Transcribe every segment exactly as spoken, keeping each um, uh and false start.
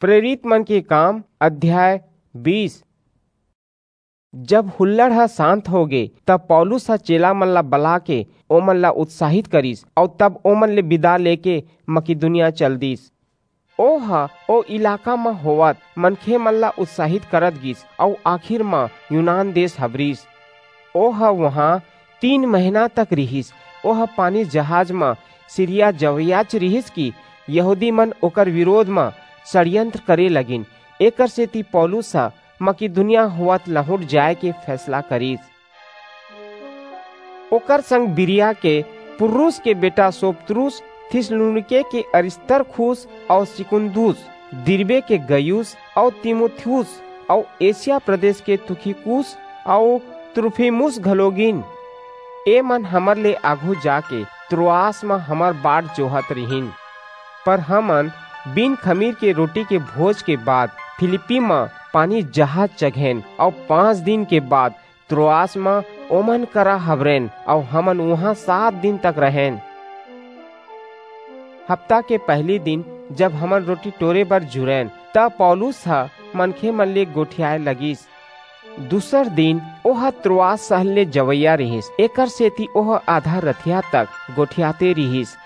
प्रेरित मन के काम, अध्याय बीस। जब हुल्लड़ ह शांत होगे, तब पौलुस ह चेला मन ला बला के ओमन ला उत्साहित करिस, अउ तब ओमन ले बिदा लेके मकिदुनिया चल दिस। ओह ओ इलाका म होवत मनखे मन ला उत्साहित करत गिस, अउ आखिर म यूनान देश हबरिस। ओह उहाँ तीन महीना तक रिहिस। ओह पानी जहाज म सीरिया जवइयाच रिहिस कि यहूदी मन ओकर विरोध म षड्यंत्र करे लगिन। एकर सेती पौलुस ह मकिदुनिया होवत लहुट जाय के फैसला करिस। ओकर संग बिरिया के पुर्रुस के बेटा सोपत्रुस, थिस्सलुनीके के अरिस्तर्खुस अउ सिकुन्दुस, दिरबे के गयुस अउ तीमुथियुस अउ एशिया प्रदेश के तुखिकुस अउ त्रुफिमुस घलो गिन। ए मन हमर ले आघू जाके त्रोआस म हमर बाट जोहत रिहिन। पर हमन बिन खमीर के रोटी के भोज के बाद फिलिप्पी म पानी जहाज चघेन अउ पाँच दिन के बाद त्रोआस म ओमन करा हबरेन अउ हमन उहाँ सात दिन तक रहेन। हफ्ता के पहिली दिन जब हमन रोटी टोरे बर जुरेन, त पौलुस ह मनखे मन ले गोठियाए लगिस। दूसर दिन ओह त्रोआस सहर ले जवइया रिहिस, एकर सेती ओह आधा रथिया तक गोठियाते रिहिस।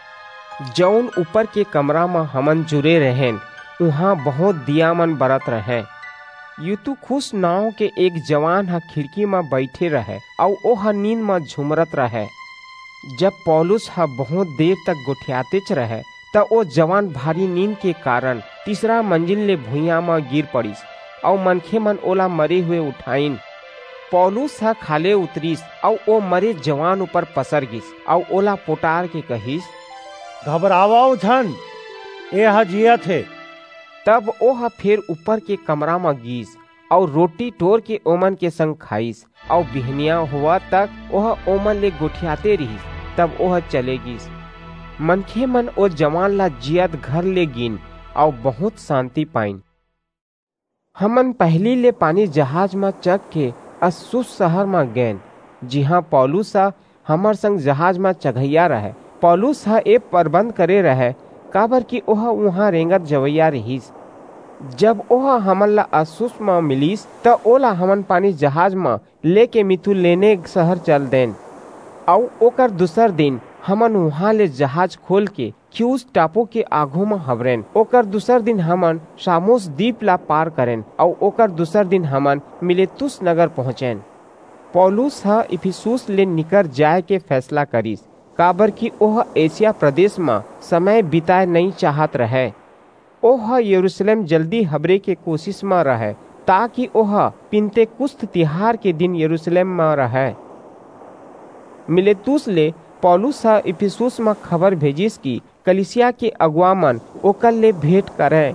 जऊन ऊपर के कमरा म हमन जुरे रहेन, उहाँ बहुंत दिया मन बरत रहय। यूतुखुस नांव के एक जवान ह खिड़की म बइठे रहय अऊ ओह नींद म झुमरत रहय। जब पौलुस ह बहुंत देर तक गोठियातेच रहय, त ओ जवान भारी नींद के कारन तीसरा मंजिल ले भुइयां म गिर पड़िस, अऊ मनखे मन ओला मरे हुए उठाइन। पौलुस ह खाल्हे उतरिस, अऊ ओ मरे जवान ऊपर पसर गिस, अऊ ओला पोटार के कहिस, "घबरावव झन, एह जीयत हे।" तब ओह फेर ऊपर के कमरा म गीस, अऊ रोटी टोर के ओमन के संग खाईस, अऊ बिहनिया होवत तक ओह ओमन ले गोठियाते रिहिस। तब ओह चले गीस। मनखे मन ओ जवान ला जियत घर ले गीन, अऊ बहुंत सांति पाईन। हमन पहिली ले पानी जहाज म चघ के अस्सुस सहर म गेन, जिहां पौलुस ह हमर संग जहाज म चघइया रहय। पौलुस ह ए परबंध करे रहय, काबरकि ओह उहां रेंगत जवइया रिहिस। जब ओह हमन ला अस्सुस म मिलिस, त ओला हमन पानी जहाज म लेके मितुलेने सहर चल देन, अऊ ओकर दूसर दिन हमन उहां ले जहाज खोल के खियुस टापू के आघू म हबरेन। ओकर दूसर दिन हमन सामुस दीप ला पार करेन, अऊ ओकर दूसर दिन हमन मिलेतुस नगर पहुंचेन। पौलुस ह इफिसुस ले निकर जाय के फैसला करिस, काबरकि ओह एशिया प्रदेश म समय बिताय नइं चाहत रहय। ओह यरूसलेम जल्दी हबरे के कोसिस म रहय, ताकि ओह पिन्तेकुस्त तिहार के दिन यरूसलेम म रहय। मिलेतुस ले पौलुस ह इफिसुस म खबर भेजिस कि कलीसिया के अगुवा मन ओकर ले भेंट करंय।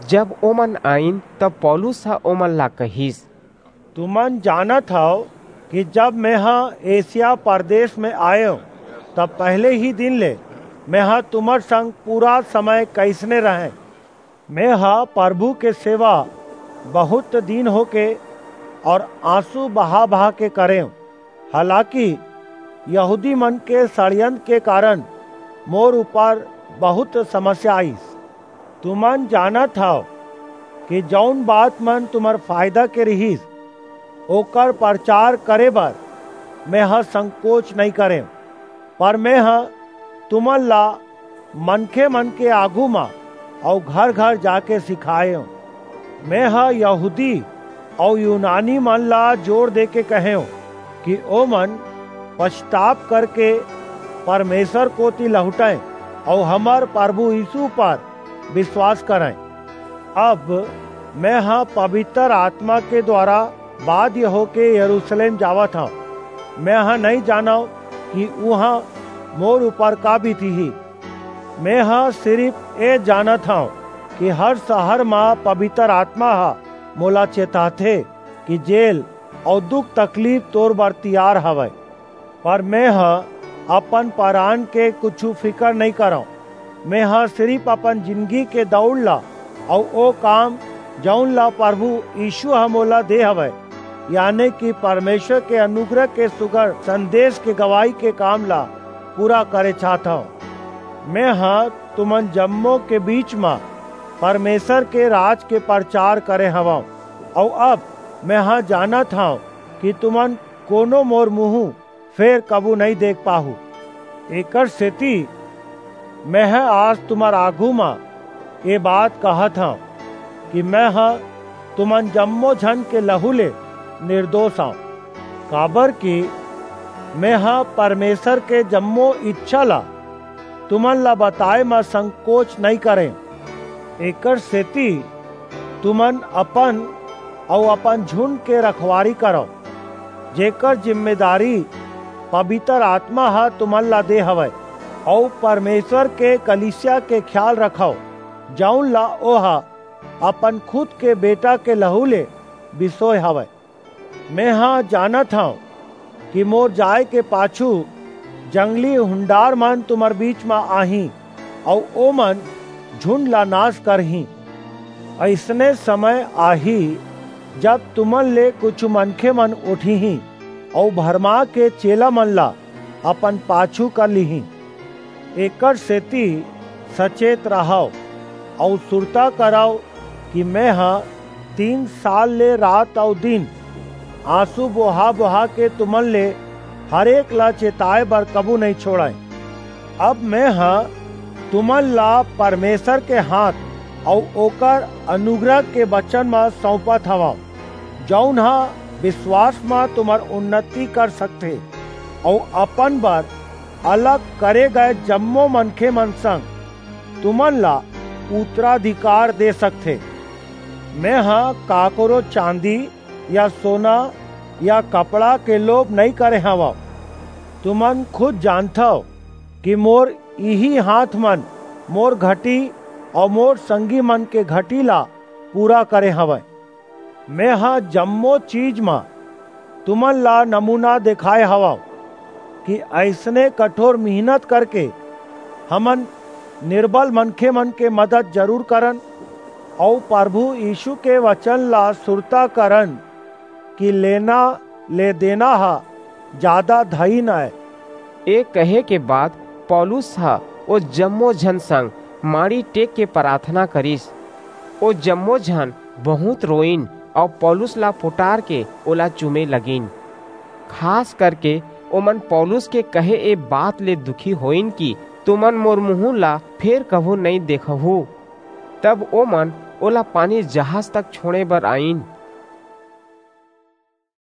जब ओमन आईन, तब पौलुस ह ओमन ला कहिस, तुमन जानत हव कि जब मेंह एशिया परदेस म आयेंव, तब पहिली ही दिन ले मेंह तुम्हर संग पूरा समय कइसने रहेंव। मेंह परभू के सेवा बहुंत दीन होके अऊ आंसू बहा-बहा के करेंव, हालाकि यहूदीमन के षड़यंत्र के कारन मोर ऊपर बहुंत समस्या आईस। तुमन जानत हव कि जऊन बात मन तुम्हर फायदा के रिहिस, ओकर परचार करे बर मेंह संकोच नइं करेंव, पर मेंह तुमन ला मनखेमन के आघू म अऊ घर-घर जाके सिखायेंव। मेंह यहूदी अऊ यूनानीमन ला जोर देके कहेंव कि ओमन पछताप करके परमेसर कोति लहुटंय अऊ हमर परभू यीसू ऊपर बिसवास करंय। अब मेंह पबितर आतमा के दुवारा बाध्य होके यरूसलेम जावत हंव। मेंह नइं जानंव कि उहां मोर ऊपर का बीतही। मेंह सिरिप ए जानत हंव कि हर सहर म पबितर आतमा ह मोला चेताथे कि जेल अऊ दुख-तकलीफ तोर बर तियार हवय। पर मेंह अपन परान के कुछू फिकर नइं करंव। मेंह सिरिप अपन जिनगी के दऊड़ ला अऊ ओ काम, जऊन ला परभू यीसू ह मोला दे हवय, याने कि परमेसर के अनुग्रह के सुघर संदेस के गवाही के काम ला पूरा करे चाहत हंव। मेंह तुमन जम्मो के बीच म परमेसर के राज के परचार करे हवंव। अऊ अब मेंह जानत हंव कि तुमन कोनो मोर मुहूं फेर कभू नइं देख पाहू। एकरसेति मेंह आज तुम्हर आघू म ए बात कहत हंव कि मेंह तुमन जम्मो झन के लहू ले निरदोस अंव, काबरकि मेंह परमेसर के जम्मो ईछा ला तुमन ला बताय म संकोच नइं करेंव। एकरसेति तुमन अपन अऊ अपन झुंड के रखवारी करव, जेकर जिम्मेदारी पबितर आतमा ह तुमन ला दे हवय, अऊ परमेसर के कलीसिया के खियाल रखव, जऊन ला ओह अपन खुद के बेटा के लहू ले बिसोय हवय। मेंह जानत हंव कि मोर जाय के पाछू जंगली हुंडारमन तुम्हर बीच म आहीं, अऊ ओमन झुंड ला नास करहीं। अइसने समय आही, जब तुमन ले कुछू मनखेमन उठिहीं अऊ भरमा के चेलामन ला अपन पाछू कर लिहीं। एकरसेति सचेत रहव अऊ सुरता करव कि मेंह तीन साल ले रात अऊ दिन आंसू बोहा-बोहा के तुमन ले हरेक ला चेताय बर कभू नइं छोंड़ेंव। अब मेंह तुमन ला परमेसर के हांथ अऊ ओकर अनुग्रह के बचन म सऊंपत हवंव, जऊन ह बिसवास म तुम्हर उन्नति कर सकथे, अऊ अपन बर अलग करे गय जम्मो मनखेमन संग तुमन ला उत्तराधिकार दे सकथे। मेंह काकरो चांदी या सोना या कपड़ा के लोभ नइं करे हवंव। तुमन खुद जानथव कि मोर इही हांथमन मोर घटी अऊ मोर संगीमन के घटी ला पूरा करे हवंय। मेंह जम्मो चीज म तुमन ला नमूना देखाय हवंव कि अइसने कठोर मिहनत करके हमन निरबल मनखेमन के मदद जरूर करन, अऊ परभू यीसू के बचन ला सुरता करन कि लेना ले देना ह जादा धइन अय। ए कहे के बाद पौलुस ह ओ जम्मो झन संग माड़ी टेक के पराथना करिस। ओ जम्मो झन बहुंत रोईन अऊ पौलुस ला पुटारके ओला चूमे लगिन। खास करके ओमन पौलुस के कहे ए बात ले दुखी होइन कि तुमन मोर मुहूं ला फेर कभू नइं देखहू। तब ओमन ओला पानी जहाज तक छोंड़े बर आईन।